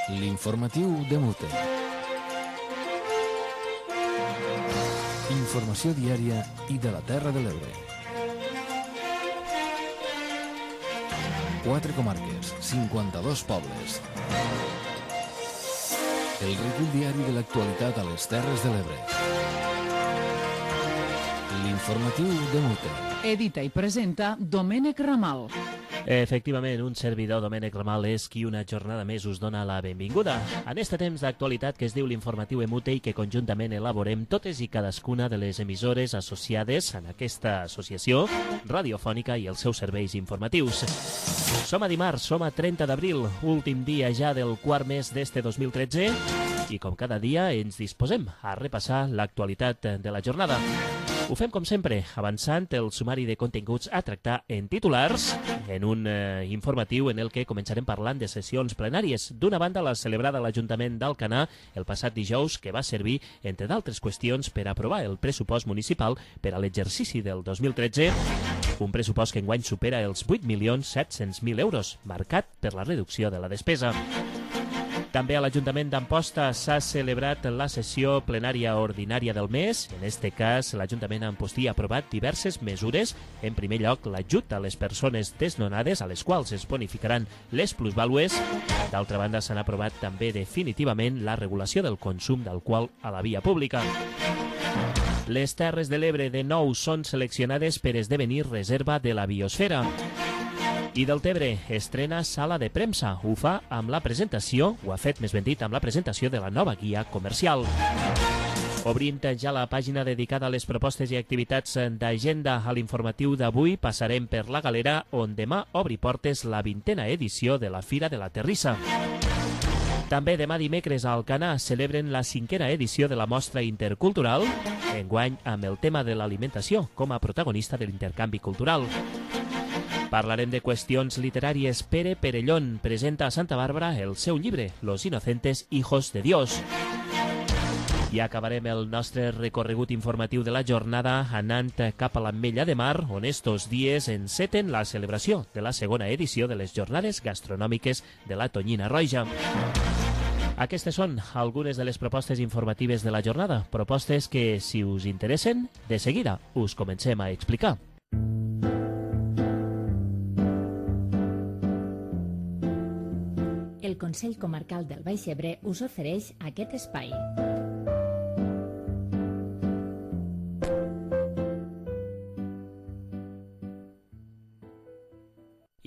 L'informatiu de Mute. Informació diària i de la Terra de l'Ebre. 4 comarques, 52 pobles. El recull diari de l'actualitat a les Terres de l'Ebre. L'informatiu de Mute. Edita i presenta Domènec Ramal. Efectivament, un servidor, Domènec Ramal, és qui una jornada més us dona la benvinguda en este temps d'actualitat que es diu l'Informatiu Emute i que conjuntament elaborem totes i cadascuna de les emissores associades en aquesta associació radiofònica i els seus serveis informatius. Som a dimarts, som a 30 d'abril, últim dia ja del quart mes d'este 2013 i com cada dia ens disposem a repassar l'actualitat de la jornada. Ho fem com sempre, avançant el sumari de continguts a tractar en titulars, en un informatiu en el que començarem parlant de sessions plenàries. D'una banda, la celebrada a l'Ajuntament d'Alcanar el passat dijous, que va servir, entre d'altres qüestions, per aprovar el pressupost municipal per a l'exercici del 2013, un pressupost que enguany supera els 8.700.000 euros, marcat per la reducció de la despesa. També a l'Ajuntament d'Amposta s'ha celebrat la sessió plenària ordinària del mes. En este cas, l'Ajuntament d'Amposta ha aprovat diverses mesures. En primer lloc, l'ajut a les persones desnonades, a les quals es bonificaran les plusvàlues. D'altra banda, s'han aprovat també definitivament la regulació del consum d'alcohol a la via pública. Les Terres de l'Ebre de nou són seleccionades per esdevenir reserva de la biosfera. I Deltebre estrena sala de premsa. Ho fa amb la presentació, ho ha fet més ben dit, amb la presentació de la nova guia comercial. Obrint ja la pàgina dedicada a les propostes i activitats d'agenda a l'informatiu d'avui, passarem per la Galera, on demà obri portes la 20a edició de la Fira de la Terrissa. També demà dimecres a Alcanar celebren la 5a edició de la Mostra Intercultural, enguany amb el tema de l'alimentació com a protagonista de l'intercanvi cultural. Parlarem de qüestions literàries. Pere Perellón presenta a Santa Bàrbara el seu llibre, Los inocentes hijos de Dios. I acabarem el nostre recorregut informatiu de la jornada anant cap a l'Ametlla de Mar, on estos dies enceten la celebració de la segona edició de les jornades gastronòmiques de la Tonyina Roja. Aquestes són algunes de les propostes informatives de la jornada, propostes que, si us interessen, de seguida us comencem a explicar. El Consell Comarcal del Baix Ebre us ofereix aquest espai.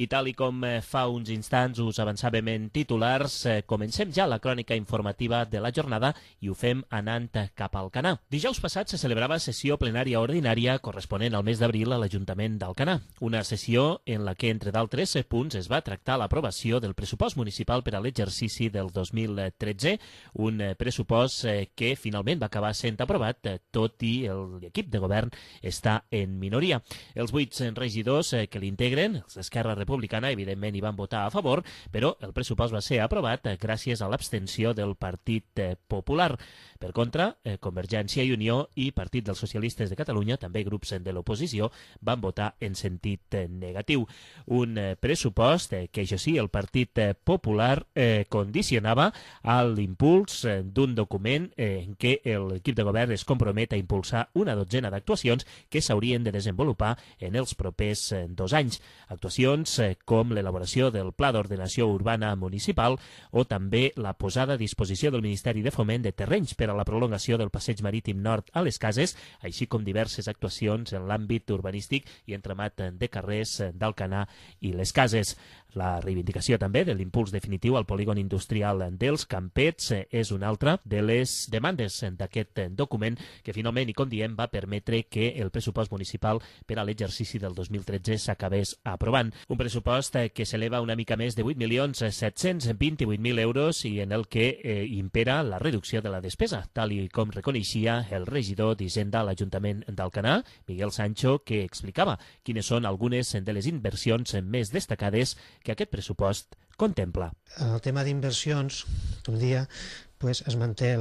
I tal i com fa uns instants us avançàvem en titulars, comencem ja la crònica informativa de la jornada i ho fem anant cap al Alcanar. Dijous passat se celebrava sessió plenària ordinària corresponent al mes d'abril a l'Ajuntament d'Alcanar. Una sessió en la que, entre d'altres punts, es va tractar l'aprovació del pressupost municipal per a l'exercici del 2013, un pressupost que finalment va acabar sent aprovat, tot i l'equip de govern està en minoria. Els 8 regidors que l'integren, els d'Esquerra Republicana, evidentment hi van votar a favor, però el pressupost va ser aprovat gràcies a l'abstenció del Partit Popular. Per contra, Convergència i Unió i Partit dels Socialistes de Catalunya, també grups de l'oposició, van votar en sentit negatiu. Un pressupost que, això sí, el Partit Popular condicionava a l'impuls d'un document en què l'equip de govern es compromet a impulsar una dotzena d'actuacions que s'haurien de desenvolupar en els propers 2 anys. Actuacions com l'elaboració del Pla d'Ordenació Urbana Municipal o també la posada a disposició del Ministeri de Foment de terrenys per a la prolongació del passeig marítim nord a les Cases, així com diverses actuacions en l'àmbit urbanístic i entramat de carrers d'Alcanar i les Cases. La reivindicació també de l'impuls definitiu al polígon industrial dels Campets és una altra de les demandes d'aquest document que finalment, i com diem, va permetre que el pressupost municipal per a l'exercici del 2013 s'acabés aprovant. Un pressupost que s'eleva una mica més de 8.728.000 euros i en el que impera la reducció de la despesa, tal i com reconeixia el regidor d'Hisenda a l'Ajuntament d'Alcanar, Miguel Sancho, que explicava quines són algunes de les inversions més destacades que aquest pressupost contempla. El tema d'inversions, com dia, es manté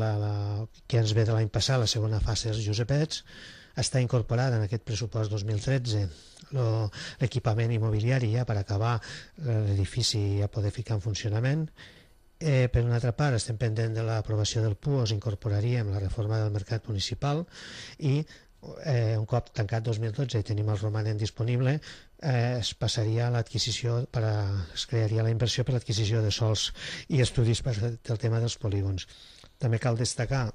que ens ve de l'any passat, la segona fase dels Josepets, està incorporada en aquest pressupost 2013 l'equipament immobiliari ja per acabar l'edifici a poder ficar en funcionament Per una altra part, estem pendent de l'aprovació del PUOS, incorporaríem la reforma del mercat municipal i un cop tancat 2012 i tenim el romanent disponible, es passaria a l'adquisició, es crearia la inversió per l'adquisició de sols i estudis del tema dels polígons. També cal destacar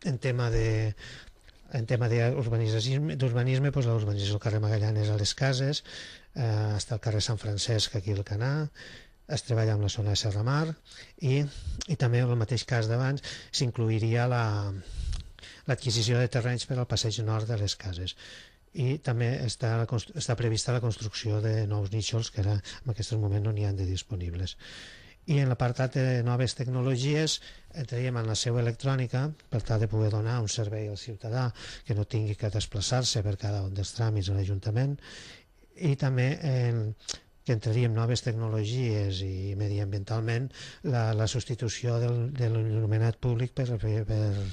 en tema d'urbanisme, l'urbanització del carrer Magallanes a les Cases, està el carrer Sant Francesc aquí al Canà, es treballa amb la zona de Serramar i també en el mateix cas d'abans s'incluiria l'adquisició de terrenys per al passeig nord de les Cases i també està prevista la construcció de nous nínxols que ara en aquest moment no n'hi ha de disponibles. I en l'apartat de noves tecnologies entraríem en la seu electrònica per tal de poder donar un servei al ciutadà que no tingui que desplaçar-se per cada un dels tràmits a l'Ajuntament i també que entraríem noves tecnologies i mediambientalment la substitució de l'il·luminat públic per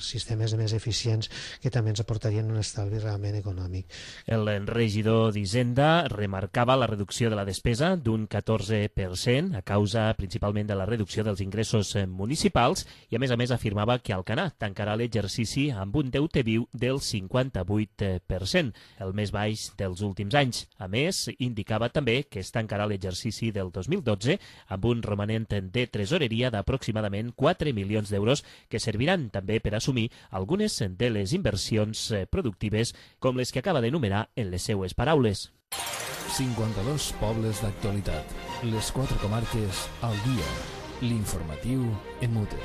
sistemes més eficients que també ens aportarien un estalvi realment econòmic. El regidor d'Hisenda remarcava la reducció de la despesa d'un 14% a causa principalment de la reducció dels ingressos municipals i a més afirmava que Alcanar tancarà l'exercici amb un deute viu del 58%, el més baix dels últims anys. A més, indicava també que es tancarà l'exercici del 2012 amb un romanent de tresoreria d'aproximadament 4 milions d'euros que serviran també per assumir algunes de les inversions productives com les que acaba d'enumerar en les seues paraules. 52 pobles d'actualitat. Les 4 comarques al dia. L'informatiu en Mute.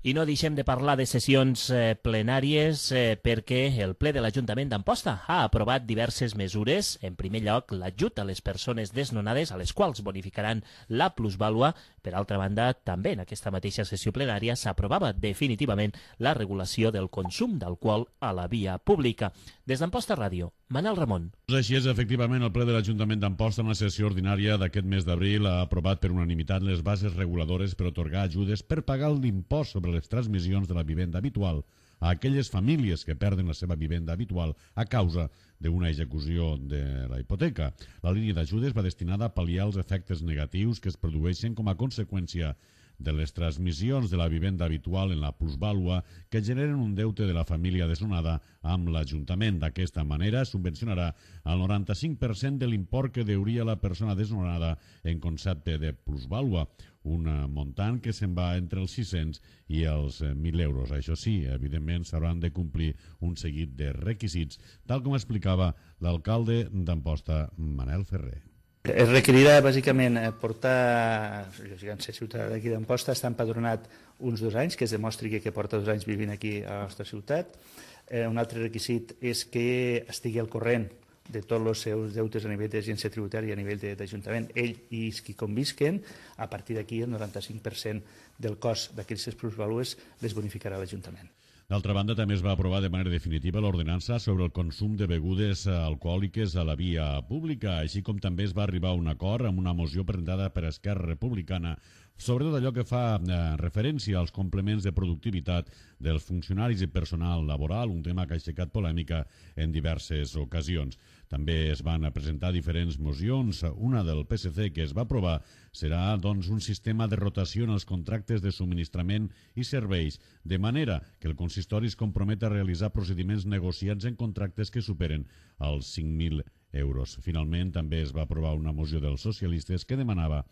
I no deixem de parlar de sessions plenàries perquè el ple de l'Ajuntament d'Amposta ha aprovat diverses mesures. En primer lloc, l'ajut a les persones desnonades, a les quals bonificaran la plusvàlua. Per altra banda, també en aquesta mateixa sessió plenària s'aprovava definitivament la regulació del consum d'alcohol a la via pública. Des d'Amposta Ràdio, Manel Ramon. Així és, efectivament, el ple de l'Ajuntament d'Amposta en la sessió ordinària d'aquest mes d'abril ha aprovat per unanimitat les bases reguladores per atorgar ajudes per pagar l'impost sobre les transmissions de la vivenda habitual a aquelles famílies que perden la seva vivenda habitual a causa d'una execució de la hipoteca. La línia d'ajudes va destinada a pal·liar els efectes negatius que es produeixen com a conseqüència de les transmissions de la vivenda habitual en la plusvàlua que generen un deute de la família desnonada amb l'Ajuntament. D'aquesta manera, subvencionarà el 95% de l'import que deuria la persona desnonada en concepte de plusvàlua, un muntant que se'n va entre els 600 i els 1.000 euros. Això sí, evidentment s'hauran de complir un seguit de requisits, tal com explicava l'alcalde d'Amposta, Manel Ferrer. Es requerirà bàsicament portar, si ser ciutadà d'aquí d'Amposta, està empadronat uns 2 anys, que es demostri que porta 2 anys vivint aquí a la nostra ciutat. Un altre requisit és que estigui al corrent de tots els seus deutes a nivell d'agència tributària, a nivell d'Ajuntament, ell i els que convisquen. A partir d'aquí el 95% del cost d'aquestes plusvàlues les bonificarà l'Ajuntament. D'altra banda, també es va aprovar de manera definitiva l'ordenança sobre el consum de begudes alcohòliques a la via pública, així com també es va arribar a un acord amb una moció presentada per Esquerra Republicana sobre tot allò que fa referència als complements de productivitat dels funcionaris i personal laboral, un tema que ha aixecat polèmica en diverses ocasions. També es van presentar diferents mocions. Una del PSC que es va aprovar serà un sistema de rotació en els contractes de subministrament i serveis, de manera que el consistori es compromet a realitzar procediments negociats en contractes que superen els 5.000 euros. Finalment, també es va aprovar una moció dels socialistes que demanava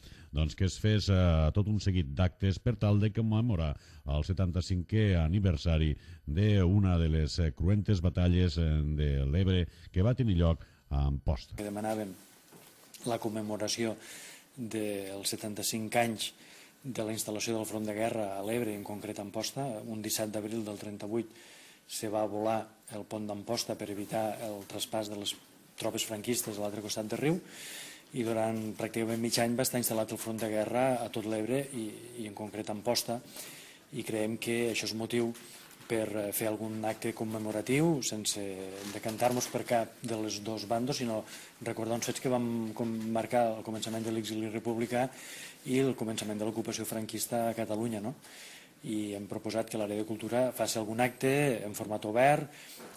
que es fes tot un seguit d'actes per tal de commemorar el 75è aniversari d'una de les cruentes batalles de l'Ebre que va tenir lloc a Amposta. Demanàvem la commemoració dels 75 anys de la instal·lació del front de guerra a l'Ebre, en concret a Amposta. Un 17 d'abril del 38 se va volar el pont d'Amposta per evitar el traspàs de les tropes franquistes a l'altre costat del riu, i durant pràcticament mig any va estar instal·lat el front de guerra a tot l'Ebre i en concret a Amposta, i creiem que això és motiu per fer algun acte commemoratiu sense decantar-nos per cap de les dos bandos, sinó recordar uns fets que vam marcar el començament de l'exili republicà i el començament de l'ocupació franquista a Catalunya, no? i hem proposat que l'àrea de cultura faci algun acte en format obert,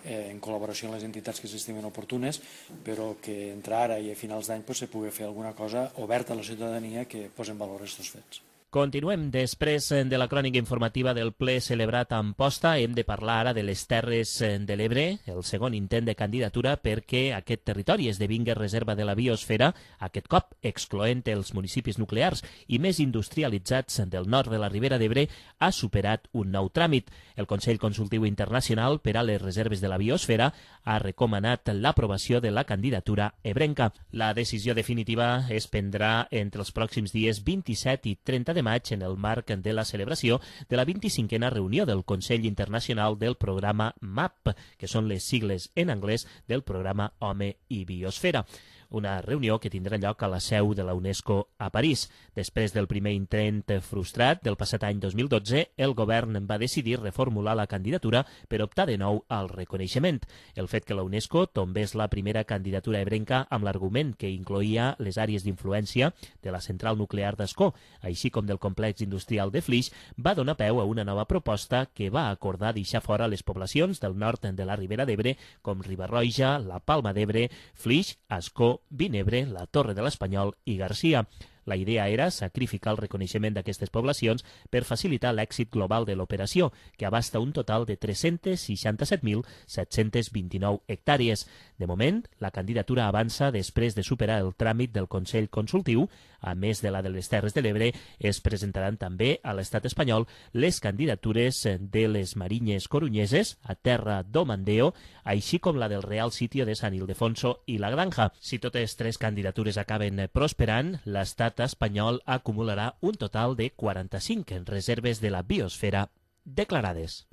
en col·laboració amb les entitats que s'estimen oportunes, però que entre ara i a finals d'any se pugui fer alguna cosa oberta a la ciutadania que posi en valor aquests fets. Continuem. Després de la crònica informativa del ple celebrat a Amposta, hem de parlar ara de les Terres de l'Ebre, el segon intent de candidatura perquè aquest territori esdevingui reserva de la biosfera, aquest cop excloent els municipis nuclears i més industrialitzats del nord de la Ribera d'Ebre, ha superat un nou tràmit. El Consell Consultiu Internacional per a les Reserves de la Biosfera ha recomanat l'aprovació de la candidatura ebrenca. La decisió definitiva es prendrà entre els pròxims dies 27 i 30 de maig en el marc de la celebració de la 25a reunió del Consell Internacional del programa MAP, que són les sigles en anglès del programa Home i Biosfera. Una reunió que tindrà lloc a la seu de la UNESCO a París. Després del primer intent frustrat del passat any 2012, el govern va decidir reformular la candidatura per optar de nou al reconeixement. El fet que la UNESCO tombés la primera candidatura ebrenca amb l'argument que incloïa les àrees d'influència de la central nuclear d'Ascó, així com del complex industrial de Flix, va donar peu a una nova proposta que va acordar deixar fora les poblacions del nord de la Ribera d'Ebre, com Riba-roja, la Palma d'Ebre, Flix, Ascó, Vinebre, la Torre de l'Espanyol i Garcia. La idea era sacrificar el reconeixement d'aquestes poblacions per facilitar l'èxit global de l'operació, que abasta un total de 367.729 hectàrees. De moment, la candidatura avança després de superar el tràmit del Consell Consultiu. A més de la de les Terres de l'Ebre, es presentaran també a l'estat espanyol les candidatures de les Marinyes Corunyeses, a Terra do Mandeo, així com la del Real Sitio de San Ildefonso i la Granja. Si totes tres candidatures acaben prosperant, l'estat espanyol acumularà un total de 45 reserves de la biosfera declarades.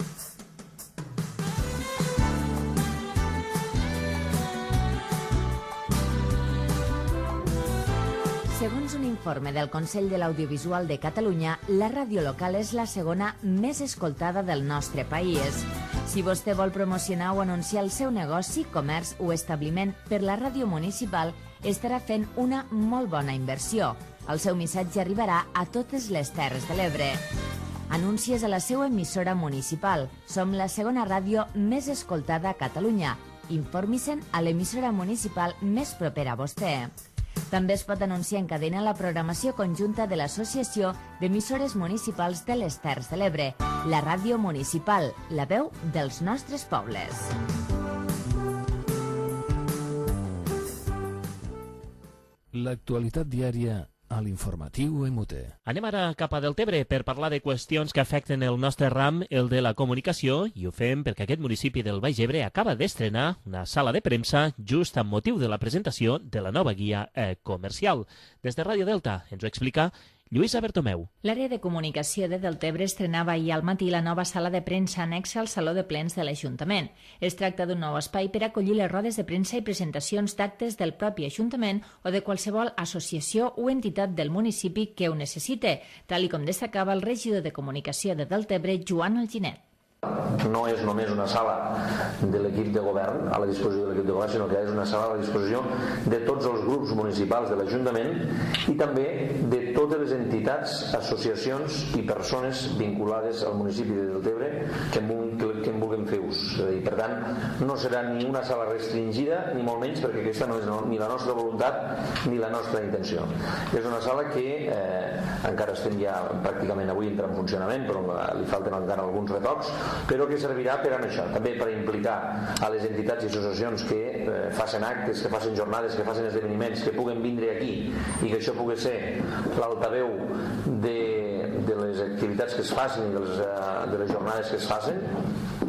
Segons un informe del Consell de l'Audiovisual de Catalunya, la ràdio local és la segona més escoltada del nostre país. Si vostè vol promocionar o anunciar el seu negoci, comerç o establiment per la ràdio municipal, estarà fent una molt bona inversió. El seu missatge arribarà a totes les Terres de l'Ebre. Anuncies a la seva emissora municipal. Som la segona ràdio més escoltada a Catalunya. Informi-se'n a l'emissora municipal més propera a vostè. També es pot anunciar en cadena la programació conjunta de l'Associació d'Emissores Municipals de les Terres de l'Ebre, la ràdio municipal, la veu dels nostres pobles. L'actualitat diària a l'informatiu MUT. Anem ara cap a Deltebre per parlar de qüestions que afecten el nostre ram, el de la comunicació, i ho fem perquè aquest municipi del Baix Ebre acaba d'estrenar una sala de premsa just amb motiu de la presentació de la nova guia comercial. Des de Ràdio Delta ens ho explica Lluïsa Bertomeu. L'àrea de comunicació de Deltebre estrenava ahir al matí la nova sala de premsa anexa al Saló de Plens de l'Ajuntament. Es tracta d'un nou espai per acollir les rodes de premsa i presentacions d'actes del propi Ajuntament o de qualsevol associació o entitat del municipi que ho necessite, tal com destacava el regidor de comunicació de Deltebre, Joan Alginet. No és només una sala de l'equip de govern, a la disposició de l'equip de govern, sinó que és una sala a la disposició de tots els grups municipals de l'Ajuntament i també de totes les entitats, associacions i persones vinculades al municipi de Deltebre que en vulguin fer ús. I per tant, no serà ni una sala restringida, ni molt menys, perquè aquesta no és ni la nostra voluntat ni la nostra intenció. És una sala que encara estem ja pràcticament avui entra en funcionament, però li falten encara alguns retocs, però que servirà per a això, també per implicar a les entitats i associacions que facin actes, que facin jornades, que facin esdeveniments, que puguen vindre aquí i que això pugui ser l'altaveu de les activitats que es facin i de les jornades que es facin.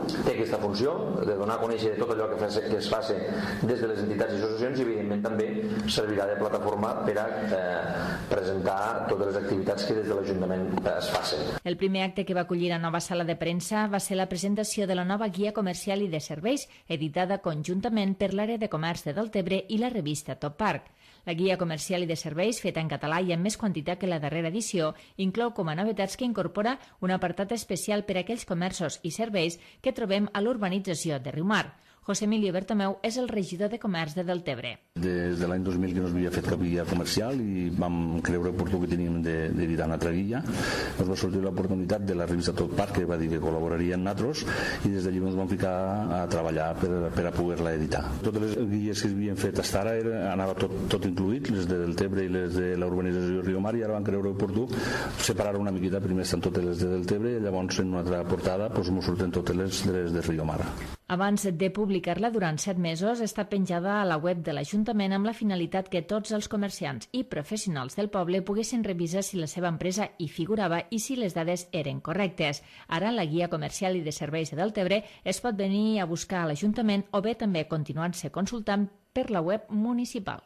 Té aquesta funció de donar a conèixer tot allò que es faci des de les entitats i associacions i evidentment també servirà de plataforma per a presentar totes les activitats que des de l'Ajuntament es facin. El primer acte que va acollir la nova sala de premsa va ser la presentació de la nova guia comercial i de serveis editada conjuntament per l'àrea de comerç de Deltebre i la revista Top Park. La guia comercial i de serveis, feta en català i amb més quantitat que la darrera edició, inclou com a novetats que incorpora un apartat especial per a aquells comerços i serveis que trobem a l'urbanització de Riumar. José Emilio Bertomeu és el regidor de comerç de Deltebre. Des de l'any 2000 que no s'havia fet cap guia comercial i vam creure oportú que teníem d'editar una altra guia. Ens va sortir l'oportunitat de la revista Tot Parc, que va dir que col·laboraria amb nosaltres, i des d'allí ens vam ficar a treballar per a poder-la editar. Totes les guies que s'havien fet fins ara anava tot incluït, les de Deltebre i les de la urbanització Rio Mar, i ara van creure oportú separar una miqueta. Primer estan totes les de Deltebre i llavors en una altra portada ens surten totes les de Rio Mar. Abans de publicar-la durant 7 mesos, està penjada a la web de l'Ajuntament amb la finalitat que tots els comerciants i professionals del poble poguessin revisar si la seva empresa hi figurava i si les dades eren correctes. Ara, la guia comercial i de serveis de Deltebre es pot venir a buscar a l'Ajuntament o bé també continuant-se consultant per la web municipal.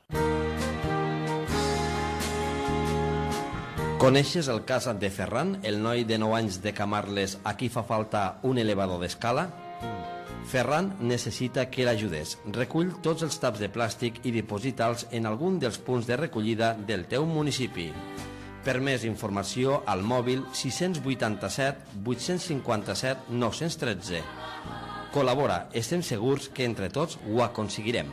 Coneixes el cas de Ferran, el noi de 9 anys de Camarles a qui fa falta un elevador d'escala? Ferran necessita que l'ajudes. Recull tots els taps de plàstic i diposita'ls en algun dels punts de recollida del teu municipi. Per més informació, al mòbil 687 857 913. Col·labora, estem segurs que entre tots ho aconseguirem.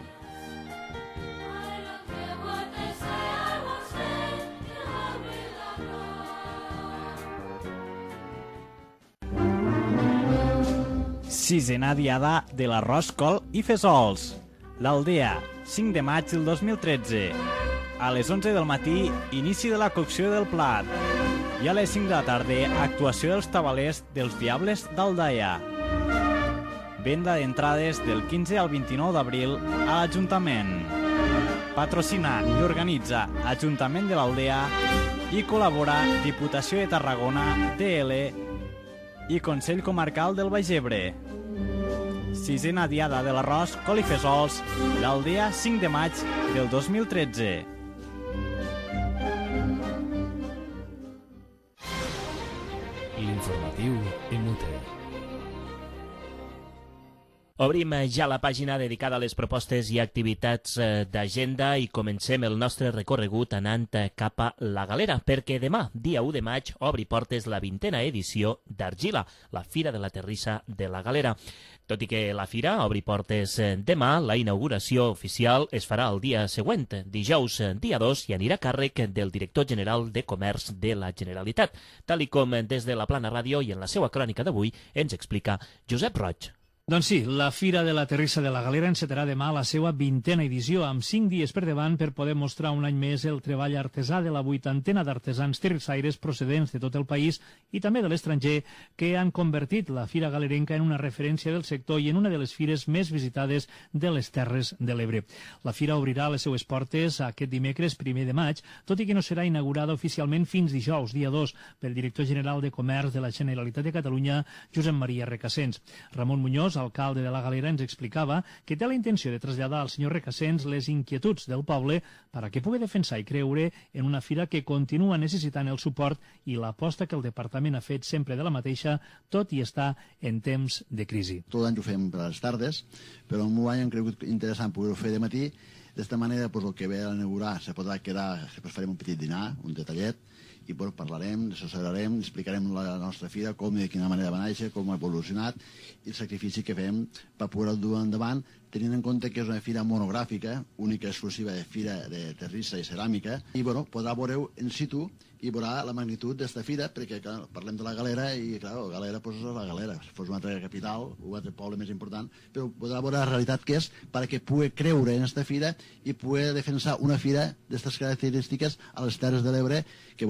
Sisena diada de l'arròs, col i fesols. L'Aldea, 5 de maig del 2013. A les 11 del matí, inici de la cocció del plat. I a les 5 de la tarda, actuació dels tabalers dels Diables d'Aldaia. Venda d'entrades del 15 al 29 d'abril a l'Ajuntament. Patrocina i organitza Ajuntament de l'Aldea i col·labora Diputació de Tarragona, DL i Consell Comarcal del Baix Ebre. Sisena diada de l'arròs, col i fesols, l'Aldea, 5 de maig del 2013. L'informatiu Emute. Obrim ja la pàgina dedicada a les propostes i activitats d'agenda i comencem el nostre recorregut anant cap a la Galera, perquè demà, dia 1 de maig, obri portes la 20a edició d'Argila, la Fira de la Terrissa de la Galera. Tot i que la fira obri portes demà, la inauguració oficial es farà el dia següent, dijous, dia 2, i anirà a càrrec del director general de Comerç de la Generalitat, tal i com des de la Plana Ràdio i en la seva crònica d'avui ens explica Josep Roig. Doncs sí, la Fira de la Terrissa de la Galera encetarà demà la seva 20a edició, amb 5 dies per davant per poder mostrar un any més el treball artesà de la 80a d'artesans terrissaires procedents de tot el país i també de l'estranger, que han convertit la Fira Galerenca en una referència del sector i en una de les fires més visitades de les Terres de l'Ebre. La Fira obrirà les seues portes aquest dimecres 1 de maig, tot i que no serà inaugurada oficialment fins dijous, dia 2, pel director general de Comerç de la Generalitat de Catalunya, Josep Maria Recasens. Ramon Muñoz, alcalde de la Galera, ens explicava que té la intenció de traslladar al senyor Recasens les inquietuds del poble per a que pugui defensar i creure en una fira que continua necessitant el suport i l'aposta que el departament ha fet sempre de la mateixa, tot i estar en temps de crisi. Tot l'any ho fem per les tardes, però en un any hem cregut interessant poder-ho fer de matí. D'esta manera, el que ve a inaugurar se podrà quedar, després farem un petit dinar, un detallet, i parlarem, assessorarem, explicarem la nostra fira, com i de quina manera va néixer, com ha evolucionat i el sacrifici que fem per poder-ho dur endavant, tenint en compte que és una fira monogràfica, única i exclusiva de fira de terrissa i ceràmica, i podrà veure-ho in situ i veurà la magnitud d'esta fira, perquè parlem de la Galera i, clar, la Galera és la Galera. Si fos una altra capital, un altre poble més important, però podrà veure la realitat que és perquè pugui creure en esta fira i pugui defensar una fira d'aquestes característiques a les Terres de l'Ebre, que,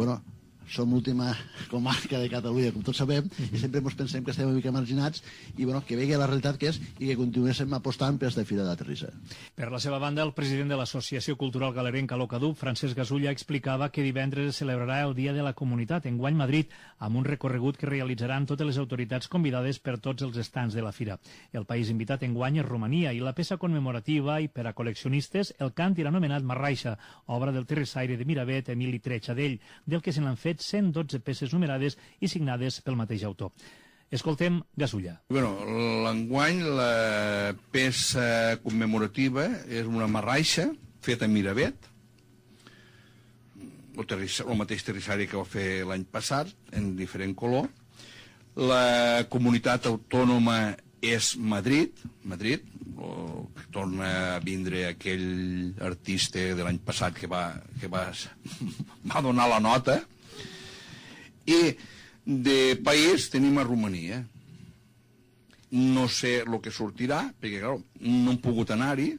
som l'última comarca de Catalunya, com tots sabem, i sempre ens pensem que estem una mica marginats, i que vegi la realitat que és i que continuéssim apostant per aquesta Fira de la Terrissa. Per la seva banda, el president de l'Associació Cultural Galerenca Locadup, Francesc Gasulla, explicava que divendres es celebrarà el Dia de la Comunitat, enguany Madrid, amb un recorregut que realitzaran totes les autoritats convidades per tots els estants de la fira. El país invitat enguany és Romania, i la peça commemorativa i per a col·leccionistes, el càntir anomenat Marraixa, obra del terrissaire de Miravet, Emili Tretxadell, del que se n'han fet 112 peces numerades i signades pel mateix autor. Escoltem Gasulla. L'enguany la peça commemorativa és una marraixa feta a Miravet, el mateix terrissari que va fer l'any passat, en diferent color. La comunitat autònoma és Madrid, torna a vindre aquell artista de l'any passat que va donar la nota, i de país tenim a Romania. No sé el que sortirà, perquè clar, no hem pogut anar-hi.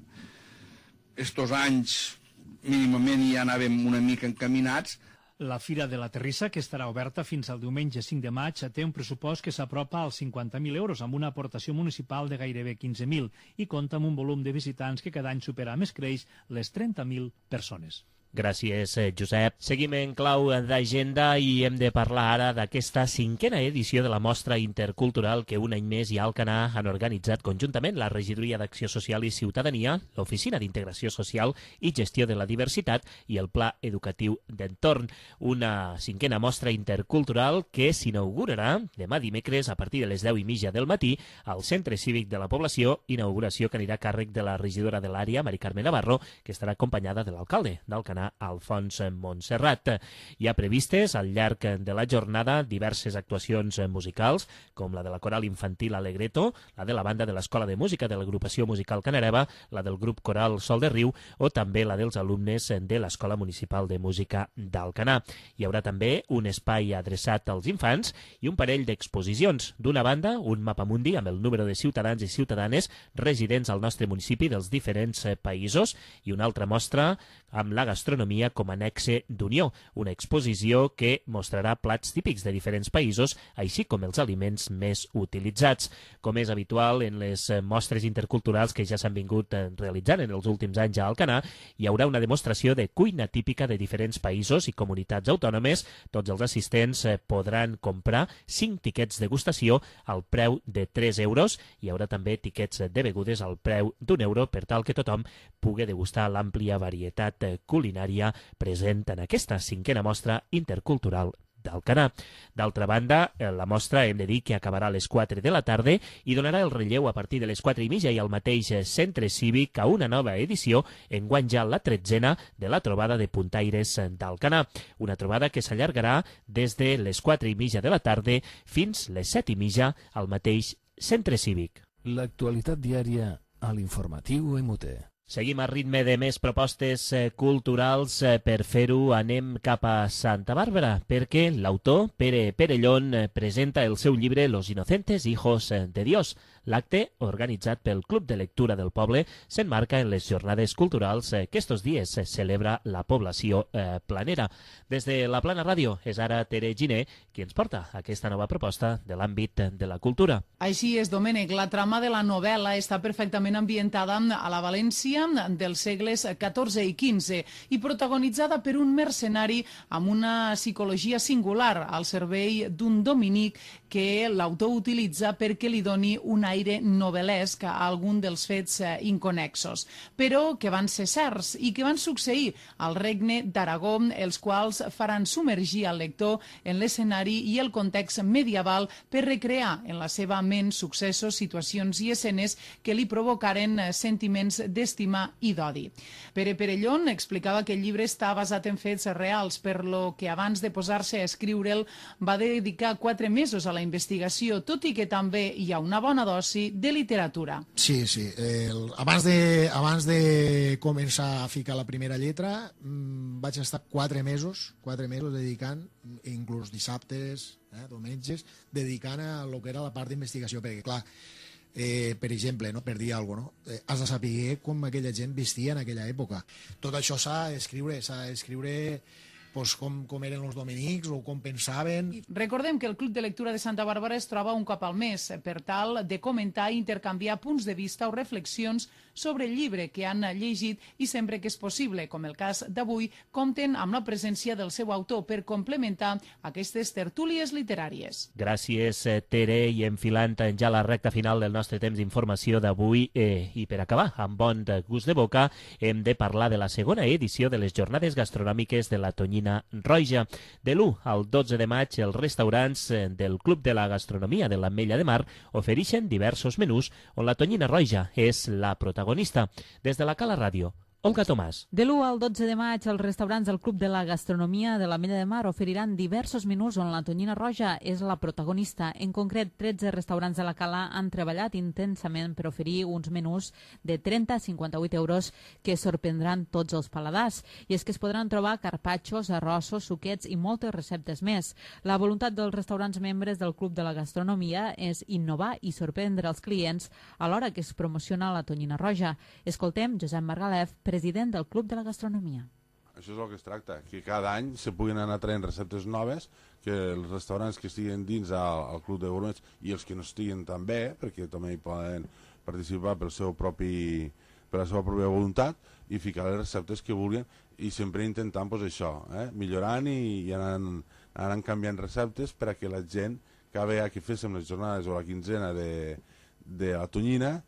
Estos anys mínimament ja anàvem una mica encaminats. La Fira de la Terrissa, que estarà oberta fins al diumenge 5 de maig, té un pressupost que s'apropa als 50.000 euros, amb una aportació municipal de gairebé 15.000, i compta amb un volum de visitants que cada any supera més creix les 30.000 persones. Gràcies, Josep. Seguim en clau d'agenda i hem de parlar ara d'aquesta 5a edició de la mostra intercultural que un any més i Alcanar han organitzat conjuntament la Regidoria d'Acció Social i Ciutadania, l'Oficina d'Integració Social i Gestió de la Diversitat i el Pla Educatiu d'Entorn. Una 5a mostra intercultural que s'inaugurarà demà dimecres a partir de les 10:30 del matí al Centre Cívic de la Població, inauguració que anirà a càrrec de la regidora de l'àrea, Mari Carme Navarro, que estarà acompanyada de l'alcalde d'Alcanar, Alfons Montserrat. Hi ha previstes al llarg de la jornada diverses actuacions musicals, com la de la coral infantil Alegreto, la de la banda de l'Escola de Música de l'Agrupació Musical Canareva, la del grup coral Sol de Riu o també la dels alumnes de l'Escola Municipal de Música d'Alcanar. Hi haurà també un espai adreçat als infants i un parell d'exposicions. D'una banda, un mapamundi amb el número de ciutadans i ciutadanes residents al nostre municipi dels diferents països i una altra mostra amb la gastronomia com a nexe d'unió, una exposició que mostrarà plats típics de diferents països, així com els aliments més utilitzats. Com és habitual en les mostres interculturals que ja s'han vingut realitzant en els últims anys a Alcanar, hi haurà una demostració de cuina típica de diferents països i comunitats autònomes. Tots els assistents podran comprar 5 tiquets de degustació al preu de 3 euros. Hi haurà també tiquets de begudes al preu d'1 per tal que tothom pugui degustar l'àmplia varietat culinària present en aquesta 5a mostra intercultural d'Alcanar. D'altra banda, la mostra hem de dir que acabarà a les 4 de la tarda i donarà el relleu a partir de les 4:30 i al mateix Centre Cívic a una nova edició, enguany ja la 13a, de la trobada de puntaires d'Alcanar. Una trobada que s'allargarà des de les 4:30 de la tarda fins les 7:30 al mateix Centre Cívic. L'actualitat diària a l'informatiu EMUTE. Seguim a ritme de més propostes culturals. Per fer-ho anem cap a Santa Bàrbara, perquè l'autor Pere Perellón presenta el seu llibre Los inocentes hijos de Dios. L'acte, organitzat pel Club de Lectura del Poble, s'enmarca en les jornades culturals que estos dies celebra la població planera. Des de la Plana Ràdio és ara Tere Giner qui ens porta aquesta nova proposta de l'àmbit de la cultura. Així és, Domènec. La trama de la novel·la està perfectament ambientada a la València dels segles XIV i XV i protagonitzada per un mercenari amb una psicologia singular al servei d'un dominic que l'autor utilitza perquè li doni un aire novel·lesc a algun dels fets inconexos, però que van ser certs i que van succeir al regne d'Aragó, els quals faran submergir al lector en l'escenari i el context medieval per recrear en la seva ment successos, situacions i escenes que li provocaren sentiments d'estima i d'odi. Pere Perellón explicava que el llibre està basat en fets reals, per lo que abans de posar-se a escriure'l va dedicar 4 mesos a la investigació, tot i que també hi ha una bona dosi de literatura. Sí. Abans de començar a ficar la primera lletra vaig estar 4 mesos dedicant, inclús dissabtes, diumenges, dedicant a lo que era la part d'investigació, perquè clar, per exemple, per dir alguna cosa, has de saber com aquella gent vestia en aquella època. Tot això s'ha d'escriure com eren els dominics o com pensaven. Recordem que el Club de Lectura de Santa Bàrbara es troba un cop al mes per tal de comentar i intercanviar punts de vista o reflexions sobre el llibre que han llegit i sempre que és possible, com el cas d'avui, compten amb la presència del seu autor per complementar aquestes tertúlies literàries. Gràcies, Tere, i enfilant ja la recta final del nostre temps d'informació d'avui i per acabar amb bon gust de boca hem de parlar de la segona edició de les jornades gastronòmiques de la Tonyina Roja. De l'1 al 12 de maig els restaurants del Club de la Gastronomia de l'Ametlla de Mar ofereixen diversos menús on la Tonyina Roja és la protagonista. Des de la Cala Ràdio Olga Tomàs. De l'1 al 12 de maig, els restaurants del Club de la Gastronomia de l'Ametlla de Mar oferiran diversos menús on la tonyina roja és la protagonista. En concret, 13 restaurants de la Cala han treballat intensament per oferir uns menús de 30 a 58 euros que sorprendran tots els paladars. I és que es podran trobar carpaccios, arrossos, suquets i moltes receptes més. La voluntat dels restaurants membres del Club de la Gastronomia és innovar i sorprendre els clients alhora que es promociona la tonyina roja. Escoltem Josep Margalef, president del Club de la Gastronomia. Això és el que es tracta, que cada any se puguin anar traient receptes noves, que els restaurants que estiguen dins al Club de Gourmets i els que no estiguen també, perquè també hi poden participar per la seva pròpia voluntat i ficar les receptes que vulguin i sempre intentant això, millorant i anant canviant receptes per a que la gent, cada vegada que féssim les jornades o la quinzena de la tonyina,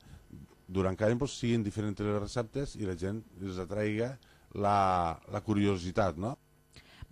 durant cada any siguin diferents les receptes i la gent els atraiga la curiositat, no?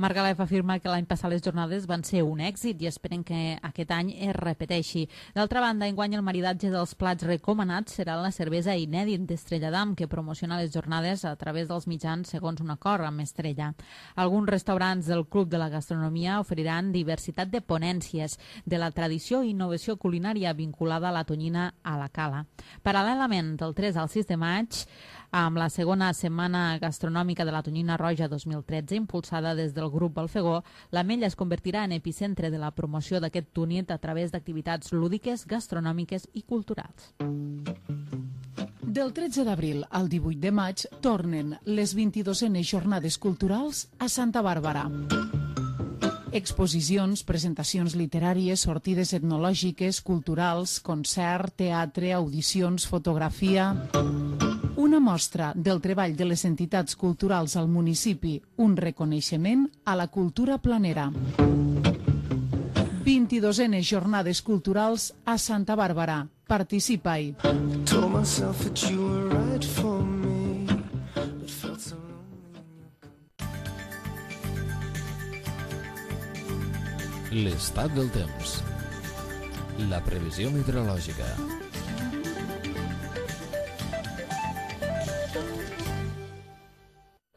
Margalef afirma que l'any passat les jornades van ser un èxit i esperen que aquest any es repeteixi. D'altra banda, enguany el maridatge dels plats recomanats serà la cervesa inèdit d'Estrella d'Am, que promociona les jornades a través dels mitjans segons un acord amb Estrella. Alguns restaurants del Club de la Gastronomia oferiran diversitat de ponències de la tradició i innovació culinària vinculada a la tonyina a la Cala. Paral·lelament, del 3 al 6 de maig, amb la segona setmana gastronòmica de la tonyina roja 2013, impulsada des del grup Balfegó, l'Ametlla es convertirà en epicentre de la promoció d'aquest túnit a través d'activitats lúdiques, gastronòmiques i culturals. Del 13 d'abril al 18 de maig tornen les 22enes jornades culturals a Santa Bàrbara. Exposicions, presentacions literàries, sortides etnològiques, culturals, concert, teatre, audicions, fotografia... Una mostra del treball de les entitats culturals al municipi, un reconeixement a la cultura planera. 22enes jornades culturals a Santa Bàrbara. Participa-hi. L'estat del temps. La previsió meteorològica.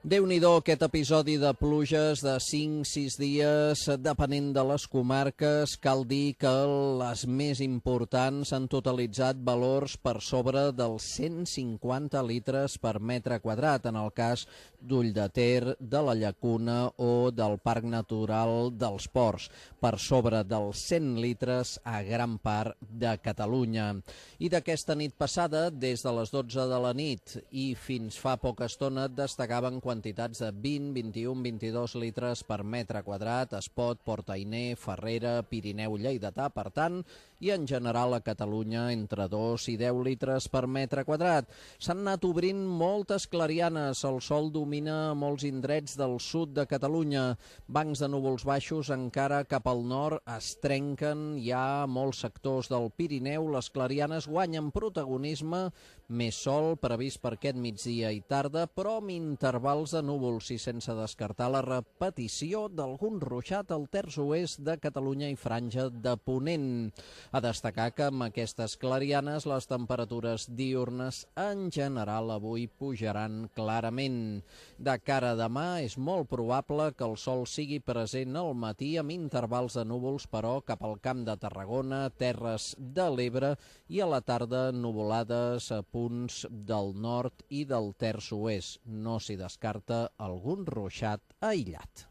Déu-n'hi-do aquest episodi de pluges de 5-6 dies, depenent de les comarques. Cal dir que les més importants han totalitzat valors per sobre dels 150 litres per metre quadrat, en el cas d'Ulldeter, de la Llacuna o del Parc Natural dels Ports, per sobre dels 100 litres a gran part de Catalunya. I d'aquesta nit passada, des de les 12 de la nit i fins fa poca estona, destacaven quantitats de 20, 21, 22 litres per metre quadrat, Espot, Port-Ainé, Farrera, Pirineu lleidatà, per tant, i en general a Catalunya entre 2 i 10 litres per metre quadrat. S'han anat obrint moltes clarianes, el sol domina molts indrets del sud de Catalunya, bancs de núvols baixos encara cap al nord es trenquen, hi ha molts sectors del Pirineu, les clarianes guanyen protagonisme, més sol previst per aquest migdia i tarda, però amb intervals de núvols i sense descartar la repetició d'algun ruixat al terç oest de Catalunya i franja de Ponent. A destacar que amb aquestes clarianes les temperatures diürnes en general avui pujaran clarament. De cara a demà és molt probable que el sol sigui present al matí amb intervals de núvols, però cap al Camp de Tarragona, Terres de l'Ebre i a la tarda nuvolades a punts del nord i del terç oest. No s'hi descarta algun ruixat aïllat.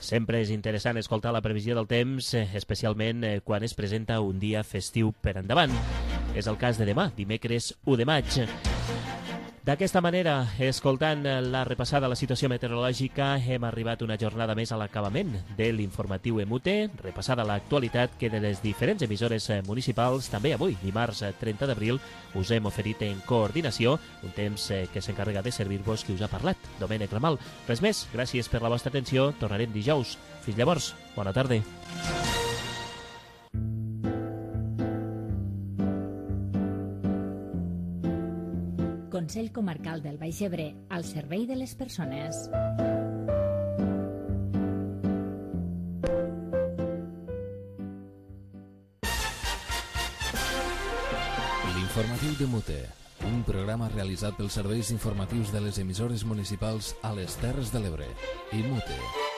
Sempre és interessant escoltar la previsió del temps, especialment quan es presenta un dia festiu per endavant. És el cas de demà, dimecres 1 de maig. D'aquesta manera, escoltant la repassada a la situació meteorològica, hem arribat una jornada més a l'acabament de l'informatiu EMUTE, repassada l'actualitat que de les diferents emissores municipals, també avui, dimarts 30 d'abril, us hem oferit en coordinació, un temps que s'encarrega de servir-vos qui us ha parlat, Domènec Ramal. Res més, gràcies per la vostra atenció, tornarem dijous. Fins llavors, bona tarda. Consell Comarcal del Baix Ebre, al servei de les persones. L'informatiu de Mute. un programa realitzat pels serveis informatius de les emissores municipals a les Terres de l'Ebre. IMUTE.